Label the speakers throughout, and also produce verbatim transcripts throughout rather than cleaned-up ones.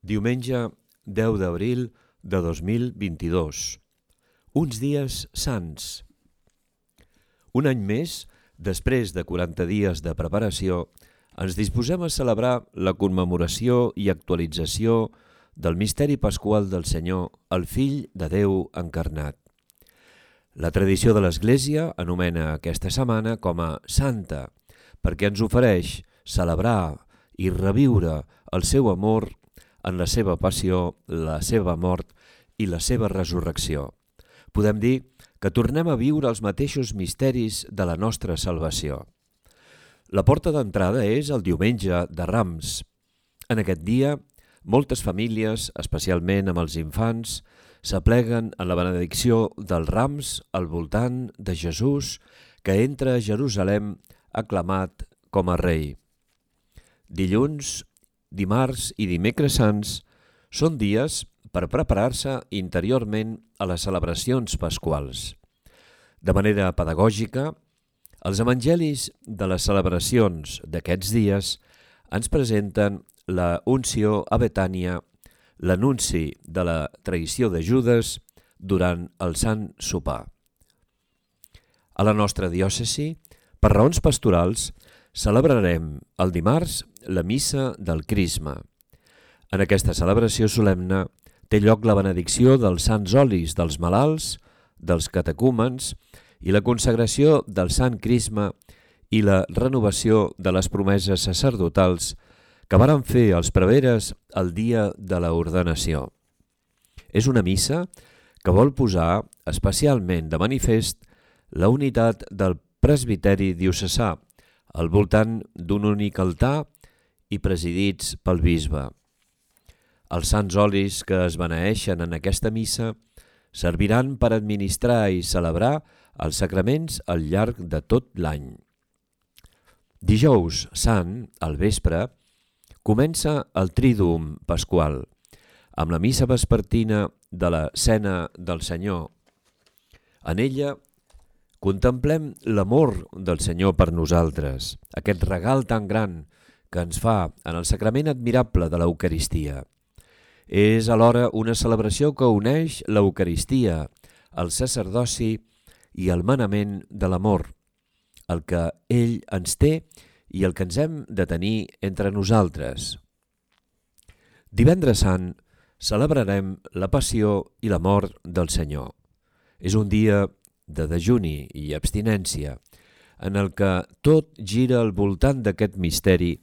Speaker 1: Diumenge deu d'abril de dos mil vint-i-dos. Uns dies sants. Un any més, després de quaranta dies de preparació, ens disposem a celebrar la commemoració i actualització del misteri pasqual del Senyor, el Fill de Déu encarnat. La tradició de l'Església anomena aquesta setmana com a Santa, perquè ens ofereix celebrar i reviure el seu amor en la seva passió, la seva mort i la seva resurrecció. Podem dir que tornem a viure els mateixos misteris de la nostra salvació. La porta d'entrada és el diumenge de Rams. En aquest dia, moltes famílies, especialment amb els infants, s'apleguen en la benedicció dels Rams al voltant de Jesús, que entra a Jerusalem aclamat com a rei. Dilluns, dimarts i dimecres sants són dies per preparar-se interiorment a les celebracions pasquals. De manera pedagògica, els evangelis de les celebracions d'aquests dies ens presenten la unció a Betània, l'anunci de la traïció de Judes durant el Sant Sopar. A la nostra diòcesi, per raons pastorals, celebrarem el dimarts la missa del Crisma. En aquesta celebració solemne té lloc la benedicció dels sants olis dels malalts, dels catecúmens i la consagració del Sant Crisma i la renovació de les promeses sacerdotals que varen fer els preveres el dia de l'ordenació. És una missa que vol posar especialment de manifest la unitat del presbiteri diocesà al voltant d'un únic altar i presidits pel bisbe. Els sants olis que es beneeixen en aquesta missa serviran per administrar i celebrar els sacraments al llarg de tot l'any. Dijous Sant, al vespre, comença el Tríduum Pasqual, amb la missa vespertina de la Cena del Senyor. En ella contemplem l'amor del Senyor per nosaltres, aquest regal tan gran que ens fa en el sacrament admirable de l'Eucaristia. És alhora una celebració que uneix l'Eucaristia, el sacerdoci i el manament de l'amor, el que ell ens té i el que ens hem de tenir entre nosaltres. Divendres Sant celebrarem la passió i la mort del Senyor. És un dia de dejuni i abstinència, en el que tot gira al voltant d'aquest misteri,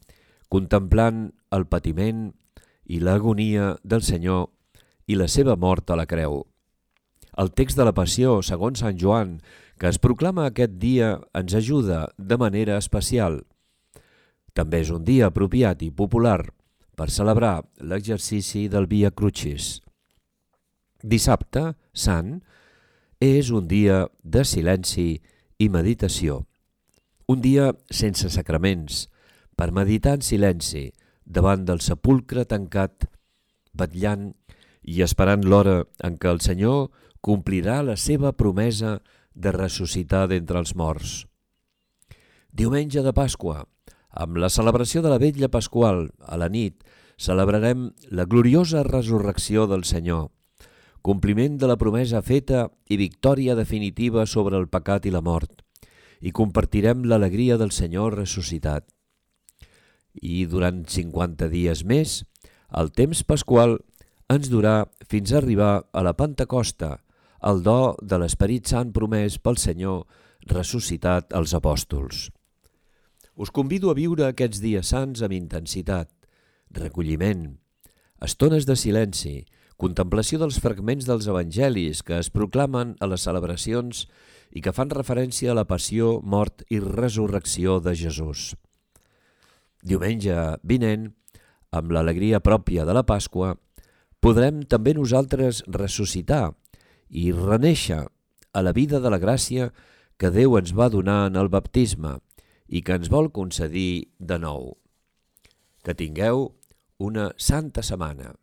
Speaker 1: contemplant el patiment i l'agonia del Senyor i la seva mort a la creu. El text de la Passió, segons Sant Joan, que es proclama aquest dia, ens ajuda de manera especial. També és un dia apropiat i popular per celebrar l'exercici del Via Crucis. Dissabte, Sant, és un dia de silenci i meditació. Un dia sense sacraments, per meditar en silenci davant del sepulcre tancat, vetllant i esperant l'hora en què el Senyor complirà la seva promesa de ressuscitar d'entre els morts. Diumenge de Pasqua, amb la celebració de la vetlla pasqual a la nit, celebrarem la gloriosa resurrecció del Senyor, compliment de la promesa feta i victòria definitiva sobre el pecat i la mort, i compartirem l'alegria del Senyor ressuscitat. I durant cinquanta dies més, el temps pasqual ens durà fins a arribar a la Pentecosta, el do de l'Esperit Sant promès pel Senyor ressuscitat als apòstols. Us convido a viure aquests dies sants amb intensitat, recolliment, estones de silenci, contemplació dels fragments dels evangelis que es proclamen a les celebracions i que fan referència a la passió, mort i resurrecció de Jesús. Diumenge vinent, amb l'alegria pròpia de la Pasqua, podrem també nosaltres ressuscitar i renéixer a la vida de la gràcia que Déu ens va donar en el baptisme i que ens vol concedir de nou. Que tingueu una santa setmana.